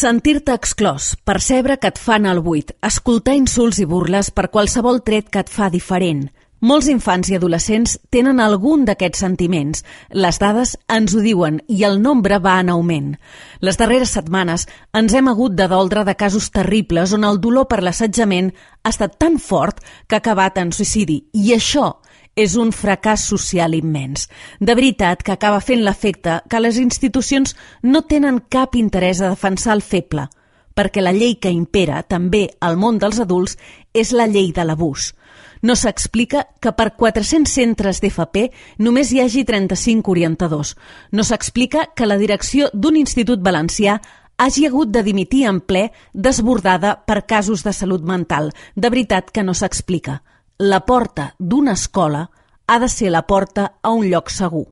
Sentir-te exclòs, percebre que et fan al buit, escoltar insults i burles per qualsevol tret que et fa diferent. Molts infants i adolescents tenen algun d'aquests sentiments. Les dades ens ho diuen i el nombre va en augment. Les darreres setmanes ens hem hagut de doldre de casos terribles on el dolor per l'assetjament ha estat tan fort que ha acabat en suïcidi. I això és un fracàs social immens. De veritat que acaba fent l'efecte que les institucions no tenen cap interès a defensar el feble, perquè la llei que impera també al món dels adults és la llei de l'abús. No s'explica que per 400 centres d'FP només hi hagi 35 orientadors. No s'explica que la direcció d'un institut valencià hagi hagut de dimitir en ple desbordada per casos de salut mental. De veritat que no s'explica. La porta d'una escola ha de ser la porta a un lloc segur.